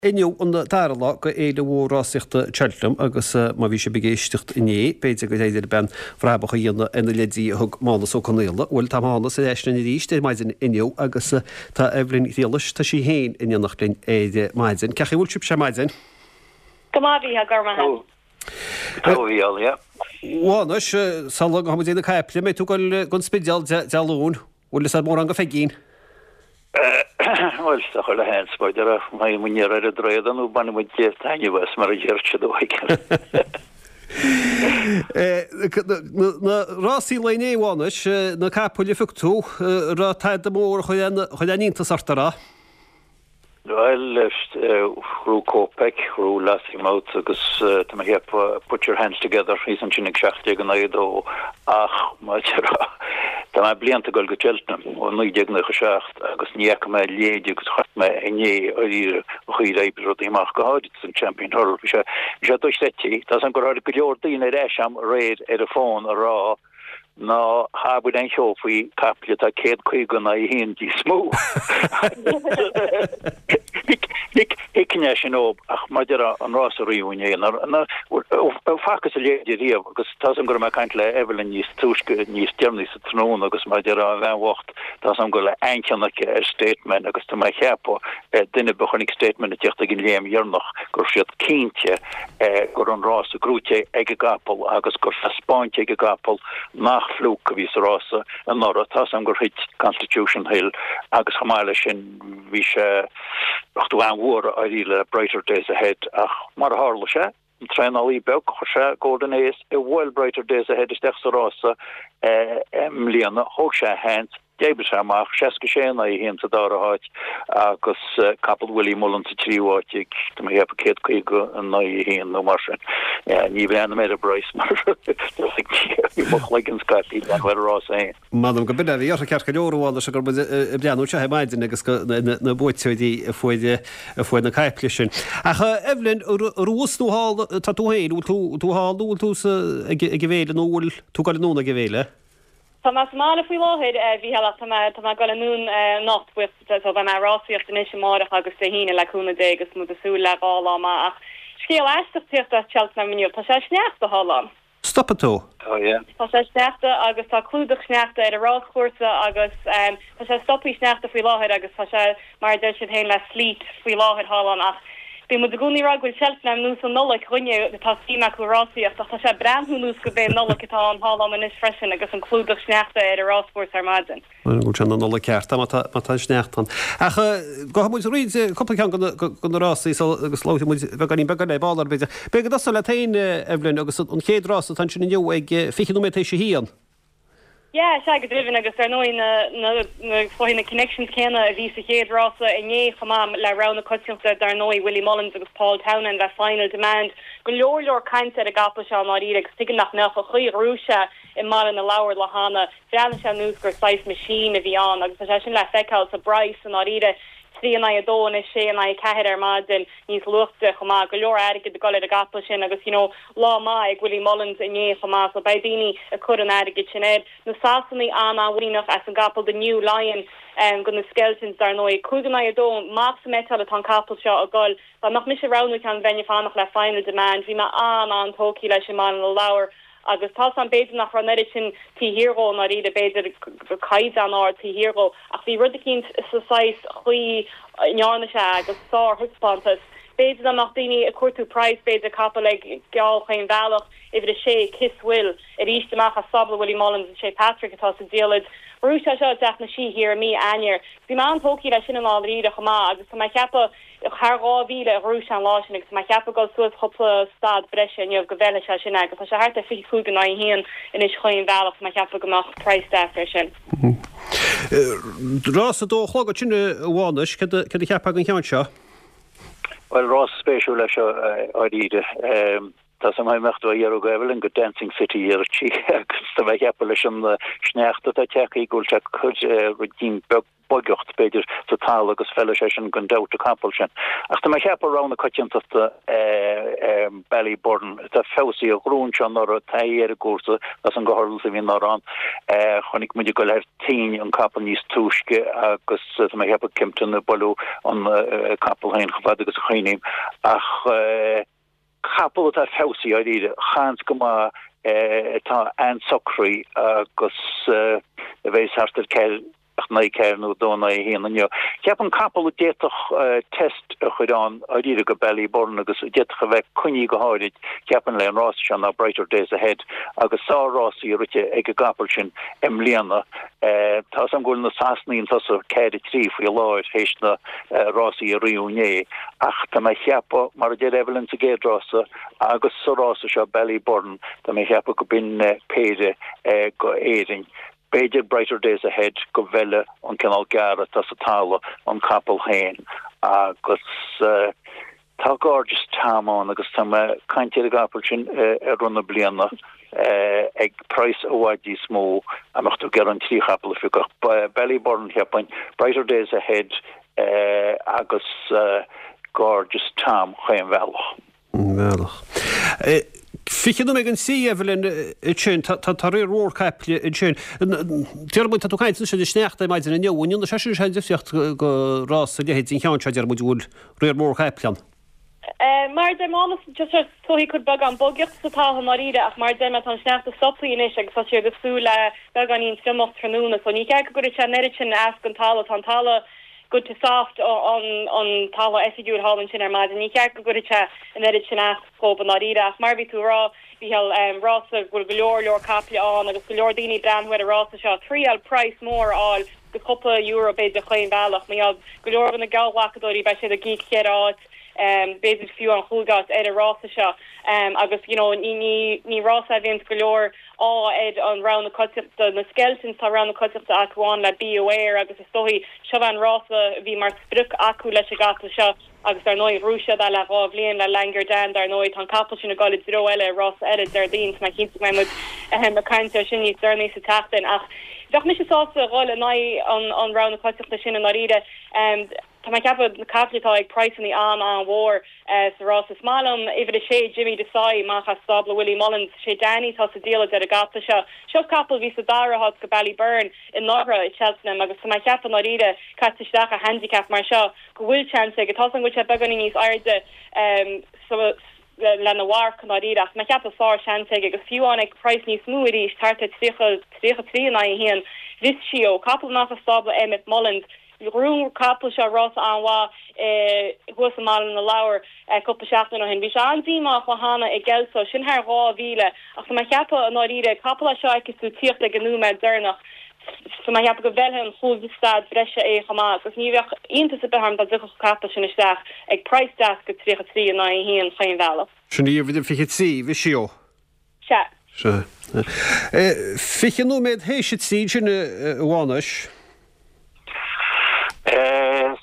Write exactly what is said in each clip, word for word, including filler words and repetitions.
Inniu an dara lá de Fhéile Mhór Rásaíochta Cheltenham agus má bhí sibh ag éisteacht inné, b'fhéidir go dtéidir bean bhrabach a dhéanamh ar na leidí a thug Mánas Ó Conaola. Bhuel tá Mánas ar ais linn arís ar maidin inniu agus tá Evelyn Ghriallais, tá sí féin in éineacht linn ar maidin. Cén chaoi a bhfuil sibh ar maidin? Go maith bhí go maith. Tá Mhánais sula ngabhfaidh muid na caiple, mbeidh tú ag dul don Spidéal Dé Luain, bhfuil is mórán go Pheigín. Bhuel sa chuile sheans b'fhéidir má muid ar an dréad nó bainfidh muid taitneamh as mar a deir siad uaidh. Na rásaí lae inné a Mhánais, na capaill a phioc tú, raibh tada mór a chuir aon iontas ort a raibh? Bhuel ghnóthaigh Kopek, ghnóthaigh Lossiemouth agus tá mé ag ceapadh Put Your Hands Together thíos ansin ag seacht déag in aghaidh a dó ach má tá mé blianta ag dul go Cheltenham ó naoi déag nócha seacht agus ní fhaca mé a leithéid agus chonaic mé inné dáiríre an chaoi ar oibrigh rudaí amach go háirid san Champion Hurdle. Bhí sé bhí sé dochreidte. Tá an gur tháinig go leor daoine ar ais agam aréir ar an bhfón a rá ná habair aon cheo faoi capall atá céad caoga in aghaidh a haon níos mó. Thuigfinn é sin ó ach maidir an rás a riú inné facthas a leithéid riamh agus tá am go raibh mé ag caint le Evelyn níos túisce níos deireanaí sa tráthnóna agus maidir an bhean bhocht tá am go le an-chion aici ar Stateman agus tá mé ag ceapadh duine ba chonaic Stateman ag teacht ag an léim dheireanach go raibh siad cinnte go raibh an rás gnóthaithe ag an gcapall agus gur taispeáinte ag an gcapall nach fluke a bhí sa rása anuraidh tá am gur thit Constitution Hill agus chomh maith leis sin bhí sé tú an-mhór ar le Brighter Days Ahead ach mar a tharla sé an traenálaí beag chuir sé Golden Ace i bhfuil Brighter Days Ahead isteach sa rása i mbliana thóg sé seans d'oibrigh sé amach seasca sé in aghaidh a haon sa dara háit agus capall Willie Mullins sa tríú háit ag tá mé ag ceapadh céad caoga in aghaidh a haon nó mar sin. Ní bhreathnaím ar an bpraghas mar bhí mo chloigeann scaipthe ar an rás féin. M'anam go b'in é a bhí orthu ceart go leor a Mhánais gur muid ag breathnú anseo ar maidin agus go na buaiteoirí a fuair a fuair na caiple sin. Ach Evelyn thuas nó thall tá tú féin, bhfuil tú tú thall nó bhfuil tú sa ag ag an bhféile nó bhfuil tú ag dul anonn ag an bhféile? Tá mé sa mbaile faoi láthair bhí heach tá mé tá mé ag dul anonn anocht so beidh mé ag rásaíocht anois amárach agus Dé hAoine le cúnamh Dé agus muid ag súil le dhá lá maith ach scéal aisteach tíocht as Cheltenham inniu tá sé sneachta thall ann. Stopfaidh tú. Oh yeah. Tá sé sneachta agus tá clúdach sneachta ar an ráschúrsa agus um, tá sé stoptha sneachta faoi láthair agus tá sé mar deir siad féin le sleet faoi láthair thall ann ach Bhí muid i gcónaí ag rá go bhfuil Cheltenham ar nós an Nollaig dúinne tá suim acu rásaíocht ach tá sé breathnú ar nós go b'é Nollaig atá an thall ann anois freisin agus an clúdach sneachta ar an ráschúrsa ar maidin. Bhfuil sé na Nollaig ceart má tá sneachta ann. Ach gabhfaidh muid roinnt cúpla ceann de na rásaí agus labhróidh muid beagáinín beag eile ball ar b'fhéidir. B'fhéidir go dtosóidh leat féin Evelyn agus an chéad rás atá ansin inniu ag fiche nóiméad tar éis a haon. Yeah, sé go deimhin agus ar ndóigh na na na na connections céanna a bhí sa chéad rása inné chomh maith le rogha na coitiantachta dar ndóigh Willie Mullins agus Paul Townend le Final Demand go leor leor caint ar an gcapall seo dáiríre agus tuigim nach mbeadh an chaoi a ghnóthaigh sé i mBaile na Lobhar le hana bhreathnaigh sé ar nós gur saghas machine a bhí ann agus tá sé sin le feiceáil sa bpraghas san dáiríre trí in aghaidh a dó nó sé in aghaidh ceathair ar maidin níos luaithe chomh maith go leor airgead ag dul ar an gcapall sin agus you know lá maith ag Willie Mullins inné chomh maith so beidh daoine ag cur an airgead sin air na Sasanaigh an-mhuiníneach as an gcapall the New Lion um, go na Skeltons dar ndóigh cúig in aghaidh a dó maith sa mbeiteáil atá an capall seo ag dul Ba nach mise roghnú ceann bheinn ag fanacht le Final Demand bhí mé an an-tógtha leis i mBaile na Lobhar agus tá an b'fhéidir nach raibh an oiread sin taobh thiar dhó dáiríre b'fhéidir caighdeán ard taobh thiar dhó ach bhí rud eicínt sa saghas chaoi a ndearna sé agus sárthaispeántas. B'fhéidir nach daoine ag cuartú praghas b'fhéidir capall ag geall chaon bhealach uimhir a sé Kiss Will arís amach as stábla Willie Mullins sé Patrick atá sa diallait. Bhuaigh sé seo i dTeach na Sí thiar i mí Eanáir. Bhí mé an-tógtha leis sin an dáiríre chomh maith agus tá mé ag ceapadh thar dhá mhíle a ghnóthaigh sé an lá sin agus tá mé ag ceapadh dul suas cúpla stad breise inniu go bhfeilfidh sé sin agus tá sé thart ar fiche cúig in aghaidh a haon anois chaon bhealach tá mé ag ceapadh go mbeadh praghas deas ar sin. Rás a dó a chlog sin a Mhánais cad a cheapfá den cheann seo? Well rás spéisiúil leis seo dáiríre. Tá sam mecht a dhearú gohfuil go Dancing City ar tí agus tá mé ag ceapadh leis an sneachta atá tagtha go bhfuil sé chun rud beag boigeacht b'fhéidir sa talamh agus feilfidh sé sin gan dabht an capall sin. Ach tá mé ag ceapadh rogha na coitiantachta Ballyburn atá feabhsaithe, ghnóthaigh sé anuraidh, taithí ar an gcúrsa, as an go hurlas a bhí anuraidh ann. Chonaic muid ag dul thar toinn an capall níos túisce agus tá mé ag ceapadh Kempton ag bualadh an capall féin chomh fada agus a chuimhním. Ach capall atá feabhsaithe dáiríre, seans go maith atá an-socraithe agus a bheas thart ar ceathair in aghaidh ceathair nó dó in aghaidh a haon inniu. Ceapaim capall a d'fhéadfadh test a chur ann dáiríre go Ballyburn agus a d'fhéadfadh a bheith coinnithe go háirid, ceapaim le an rása seo ná Brighter Days Ahead agus sár-rásaí rite ag an gcapall sin i mbliana. Tá 's agam go bhfuil na Sasanaigh chun tosaigh ceathair a trí faoi láthair théis na rásaí a ritheadh inné ach tá mé ag ceapadh, mar a deir Evelyn sa gcéad rása agus sa rása seo Ballyburn, tá mé ag ceapadh go b'in péire go Éirinn. B'fhéidir Brighter Days Ahead go bhfeilfidh an cineál gearradh atá sa talamh an capall féin agus tá Gorgeous Tom ann agus tá mé ag caint ar an gcapall sin i rith na bliana ag praghas i bhfad níos mó a mbeadh tú ag iarraidh an trí chapall a phiocadh. Ballyburn cheapfainn, Brighter Days Ahead agus Gorgeous Tom chaon bhealach. mbealach. Fiche nóiméad don trí, Evelyn, ansin, tá riar mhór caiple ansin. Deir muid, tá tú ag caint anois ar an sneachta ar maidin inniu, an ndéanann sé sin sé difríocht go rás a leithéid den cheann seo, deir muid, bhfuil riar mór caiple ann? Mar a deir Mánas, just is dóigh cuid beagán bogeacht sa talamh i ndáiríre ach mar a deir mé tá an sneachta stoptha anois agus tá siad ag súil le beagáinín triomach tráthnóna so ní ceart go gcuirfidh sé an oiread sin as don talamh, tá an talamh good to soft an an talamh oifigiúil thall ansin ar maidin. Ní ceart go gcuirfidh sé an oiread sin as dhóibh i ndáiríre ach mar a bhí tú a rá Mhícheál, rása go bhfuil go leor leor caiple ann agus go leor daoine ag breathnú ar an rása seo, triail praghas mór a fháil go cúpla euro b'fhéidir chaon bhealach. Mar gheall go leor de na geallghlacadóirí beidh siad ag íoc cheithre áit, b'fhéidir fiú an chúig áit ar an rása seo agus you know ní ní ní rása a bhíonns go leor ádh ar an rogha na coitiantachta, na Skeltons tá rogha na coitiantachta acu ann le Be Aware agus is dóigh seo an rása a bhí mar sprioc acu leis an gcapall seo agus dar ndóigh ghnóthaigh siad é le dhá bhliain le Langar Dan dar ndóigh tá an capall sin ag dul i dtreo eile rása eile Déardaoin tá mé cinnte go mbeidh muid ag caint air sin níos deireanaí sa tseachtain ach bheadh mise sásta dhul in aghaidh an an rogha na coitiantachta sin i ndáiríre. Tá mé ag ceapadh na caiple atá ag praghsanna an-an-mhór sa rás. Is maith liom uimhir a sé, Jimmy Desai, amach as stábla Willie Mullins. Sé Danny atá sa diallait ar an gcapall seo. Seo capall a bhí sa dara háit go Ballyburn anuraidh i Cheltenham agus tá mé ag ceapadh i ndáiríre, caite isteach i handicap mar seo, go bhfuil seans aige. Tá 's agam go bhfuil sé beagáinín níos airde sa lena mharc i ndáiríre ach tá mé ag ceapadh sár seans aige agus fiú amháin ag praghas níos mó arís, thart ar tríocha, tríocha trí in aghaidh a haon, Vischio, capall amach as stábla Emmet Mullins. Ghnóthaigh an capall seo rása an-mhaith thuas i mBaile na Lobhar cúpla seachtain ó shin. Bhí sé an-díomách cheana i gCelso, sin thar dhá mhíle, ach tá mé ag ceapadh i ndáiríre, capall é seo a fheicfeas tú tíocht ag an nóiméad deireanach, tá mé ag ceapadh go bhfeilfidh an chúig stad breise é chomh maith agus ní bheadh iontas ar bith orm dá dtiocfadh an capall sin isteach ag praghas deas go tríocha trí in aghaidh a haon chaon bhealach. Sin í uimhir fiche trí, Vischio. Sea. Sea. Fiche nóiméad théis a trí sin, a Mhánais.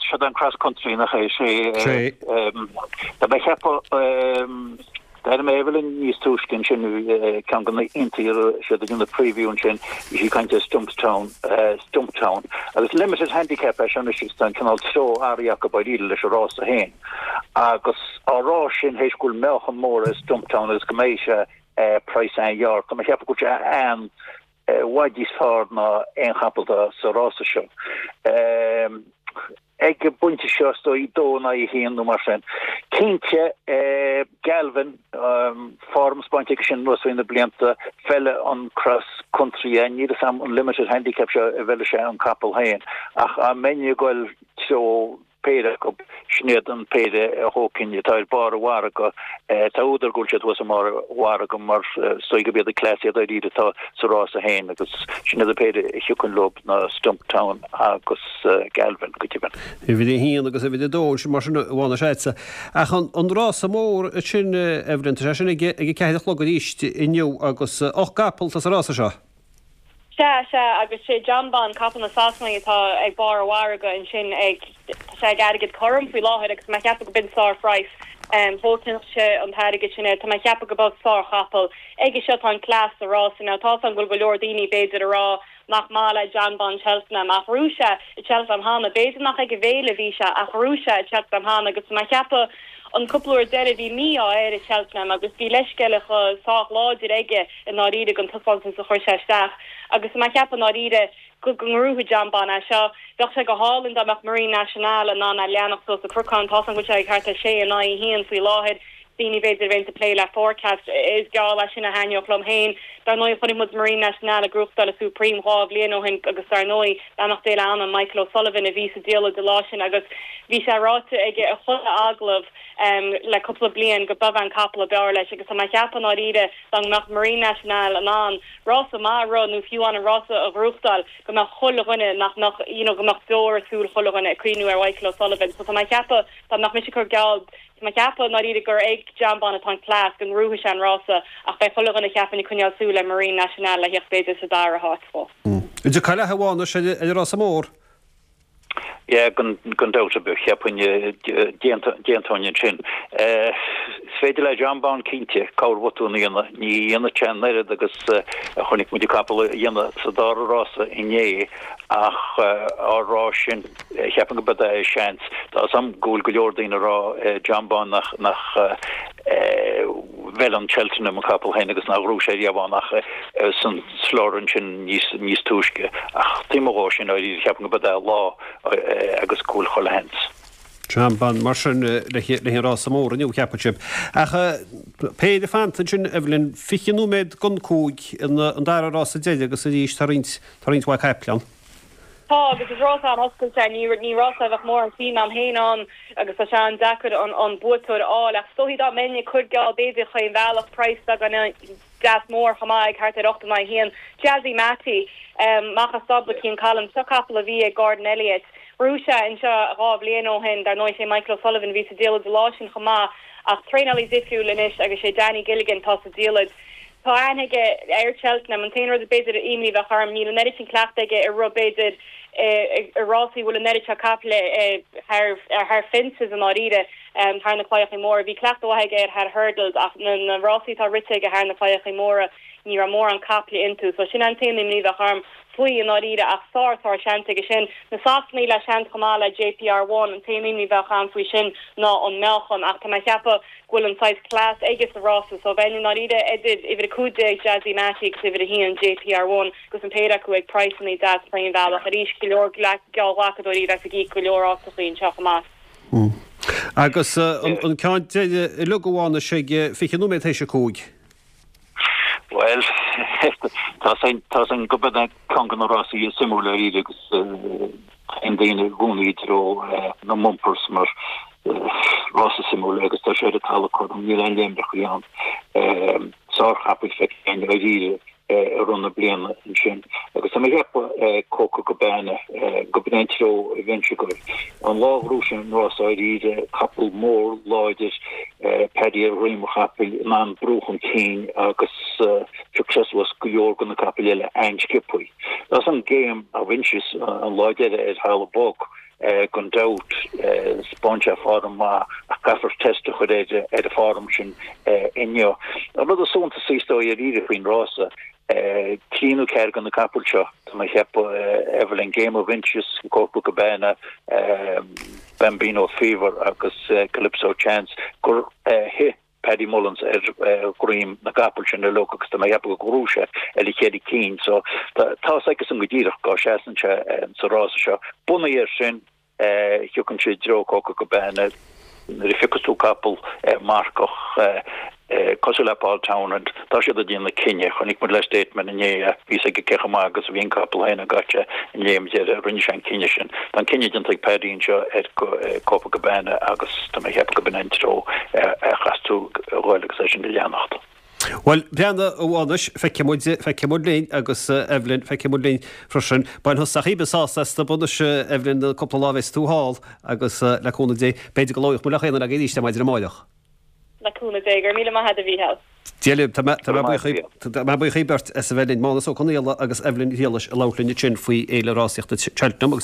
Seo an cross country nach é sé. Sé. Tá mé ag ceapadh D'airigh mé Evelyn níos túisce ansin ceann de na haíonna a raibh siad ag déanamh preview ansin bhí sí ag caint ar Stumptown Stumptown agus limited handicap é seo anois agus tá an cineál treo athraithe acu dáiríre leis an rása féin agus á rá sin théis go bhfuil meáchan mór ar Stumptown agus go mbeidh sé praghas an-ghearr tá mé ag ceapadh go bhfuil sé an i bhfad níos fearr ná aon chapall atá sa rása seo. Ag an bpointe seo, is dóigh, dó in aghaidh a haon nó mar sin. Cinnte, Galvin, form spáinte aige sin anuas thrí na blianta, feilfidh an cross country é. Níl fhios a'm an limited handicap seo a bhfeilfidh sé an capall féin ach dá mbeinn ag goil treo péire acu, sin iad an péire a thógfainn atá ar barr an mhargaidh. Tá údar go bhfuil siad thuas i mbarr an mhargaidh mar is dóigh gurb iad na cleasaithe dáiríre atá sa rása féin agus sin iad an péire a thiocfainn leo ná Stumptown agus Galvin go deimhin. Uimhir a haon agus uimhir a dó ansin mar sin a Mhánais agatsa. Ach an rása mór sin, Evelyn, tá sé sin ag a ceathair a chlog arís inniu agus ocht gcapall atá sa rása seo. Sea, sea, agus sé Jonbon, capall na Sasanaigh atá ag barr an mhargaidh ansin ag, tá sé ag airgead cothrom faoi láthair agus tá mé ag ceapadh go b'in sár-phraghas. Thógfainnse an t-airgead sin air, tá mé ag ceapadh go mbeadh sár-chapall aige seo, tá an cleas sa rása now, tá's agam go bhfuil go leor daoine b'fhéidir a rá nach maith le Jonbon Cheltenham ach bhuaigh sé i Cheltenham cheana b'fhéidir nach ag an bhféile a bhí sé ach bhuaigh sé i Cheltenham cheana agus má cheapadh an cúpla uair deiridh bhí mí-ádh air i Cheltenham agus bhí leithscéal sách láidir aige i ndáiríre don taispeántas a chuir sé isteach agus má cheapadh i ndáiríre go go ngnóthóidh Jonbon é seo bheadh sé go hálainn dá mbeadh Marine Nationale in ann é a leanacht suas an cnocán tá an sé ag thart ar sé in aghaidh a haon faoi láthair daoine b'fhéidir a bheith ag plé le forecast is geall leis sin a thaitneodh liom féin dar ndóigh chonaic muid Marine Nationale ag gnóthachtáil an Supreme dhá bhliain ó shin agus dar ndóigh beannacht Dé lena anam Michael O'Sullivan a bhí sa diallait an lá sin agus bhí sé ráite aige i chuile agallamh um, le cúpla bliain go mb'é an capall ab fhearr leis agus tá mé ag ceapadh i ndáiríre dá mbeadh Marine Nationale in ann rása maith a rith nó fiú an an rása a ghnóthachtáil go mbeadh chuile dhuine nach nach you know, go mbeadh deora i súil chuile dhuine ag cuimhniú ar Michael O'Sullivan so tá mé ag ceapadh dá mbeadh mise ag cur geall Tá ceapadh i ndáiríre gur ag Jonbon atá an cleas go ngnóthóidh sé an rása ach beidh chuile dhuine ceapaim ag coinneáil súil le Marine Nationale le theacht b'fhéidir sa dara háit fó. Idir caile hamháin sé ar rása mór. Ja gan gan dabht cheapfainn déantóin sin. Is féidir le Jonbon cinnte corrbhotún a dhéanamh ní dhéanfaidh sé an oiread agus a chonaic muid capall a dhéanamh sa dara rása inné ach á rá sin cheapfainn go b'é é seans Tá sam ggóil go leor daoine ag rá Jonbon nach nach bhfuil an Cheltenham an capall féin agus nach raibh sé riamh ach san slár sin níos níos túisce ach tí dhó sin cheapfainn go b'é lá agus go bhfuil chuile sheans. Jonbon mar sin le le rása mór inniu ceapann sibh. Ach péire fanta sin Evelyn fiche nóiméad don cúig an dara rása deiridh agus arís tá roinnt tá roinnt mhaith caiple ann. Tá agus is rás an-oscailte ní ní rás bheith mór an tí am héin an agus tá sé an-deacair an an buaiteoir a fháil ach stohí dá menne chuirgeá beidir chuin bhealach price gan deas mór chomáig thart ar ocht in haon Jazzy Matty um, mac stábla Cian Collins seo capall a bhí ag Gordon Elliott. Bhuaigh sé anseo dhá bhliain ó shin dar ndóigh sé Michael O'Sullivan bhí sa diallait an lá sin chomh maith ach traenálaí difriúil anois agus sé Danny Gilligan tá sa diallait. Tá aige ar Cheltenham an t-aon rud b'fhéidir imní bheadh orm níl an oiread sin cleachtadh aige ar rud b'fhéidir i rásaí bhfuil an oiread seo caiple thar thar fences an áiríre thar na claíocha móra bhí cleachtadh aige ar thar hurdles ach na, na rásaí tá rite aige thar na claíocha móra ní raibh mórán caiple iontu so sin an t-aon imní bheadh orm faoi an áiríre ach sár sár seans aige sin na Sasanaigh le seans chomh maith le JPR one an t-aon imní bheadh agam faoi sin ná an meáchan ach tá mé ag ceapadh go bhfuil an saghas cleas aige sa rása so bheinn in áiríre idir uimhir a cúig déag Jazzy Matty agus uimhir a haon JPR one agus an péire acu ag praghsanna deas chaon bhealach arís go leor geallghlacadóirí bheith ag go leor áiteacha anseo chomh maith. Mm. Agus uh, an, an ceann uilig amháin sé fiche nóiméad théis a cúig. Well tá tá an go ceann de na rásaí is suimiúla agus an daoine gúnaí treo na bumpers mar rása suimiúil agus tá sé talamh níl aon léimreacha ann sárchapall feicthe arís i rith na bliana sin agus tá mé ag ceapadh Coco Cabana go bntreo venture an lá Rúisian rásáíre capall mór láidir Paddy ar dhroim an chapaill in ann brú chun cinn agus successwas go leor de na capaill eile an-sciobtha. Das an Game of Inches an lá deiridh ar thalamh bog gan dabht thaispeáin sé form maith a caithfear test a chur ar ar a form sin inniu. An rud is suntasaí ar faoin rása trí nó ceathair de na capaill seo tá mé ag ceapadh Evelyn Game of Inches Coco Cabana Bambino Fever agus Calypso Chance gur hit Paddy Mullins ar dhroim na gcapall sin uilig agus tá mé ag ceapadh go raibh sé ar a chéad cinn so tá agus an go díreach go seasann sé sa rása seo bunaithe air sin thiocfainn i dtreo Coco Cabana nuair a phiocann tú capall marcach cosúil le Paul Townend tá siad ag déanamh cinneadh chonaic muid le Stateman inné bhí sé go cecha maith agus bhí an capall féin gaite in léim deiridh rinne sé an cinneadh sin. Tá an cinneadh déanta ag Paddy anseo ar Copa Cabana agus tá mé ag ceapadh go b'in an treo a chaithfeas tú dhul agus é sin a leanacht. Well breanna amháis feicfidh muid feicfidh muid linn agus Evelyn feicfidh muid linn freisin bain thusa sásamh as Evelyn cúpla lá bheas tú thall agus le cúnamh Dé b'fhéidir go labhróidh muid le chéile arís maidin amárach. Le cúnamh Dé gur míle maith a Mhícheál. Déle tá buíoch beirt as a bheith linn Mánas Ó Conaola agus Evelyn Riallais a labhairt linn sin faoi fhéile rásaíochta Cheltenham agus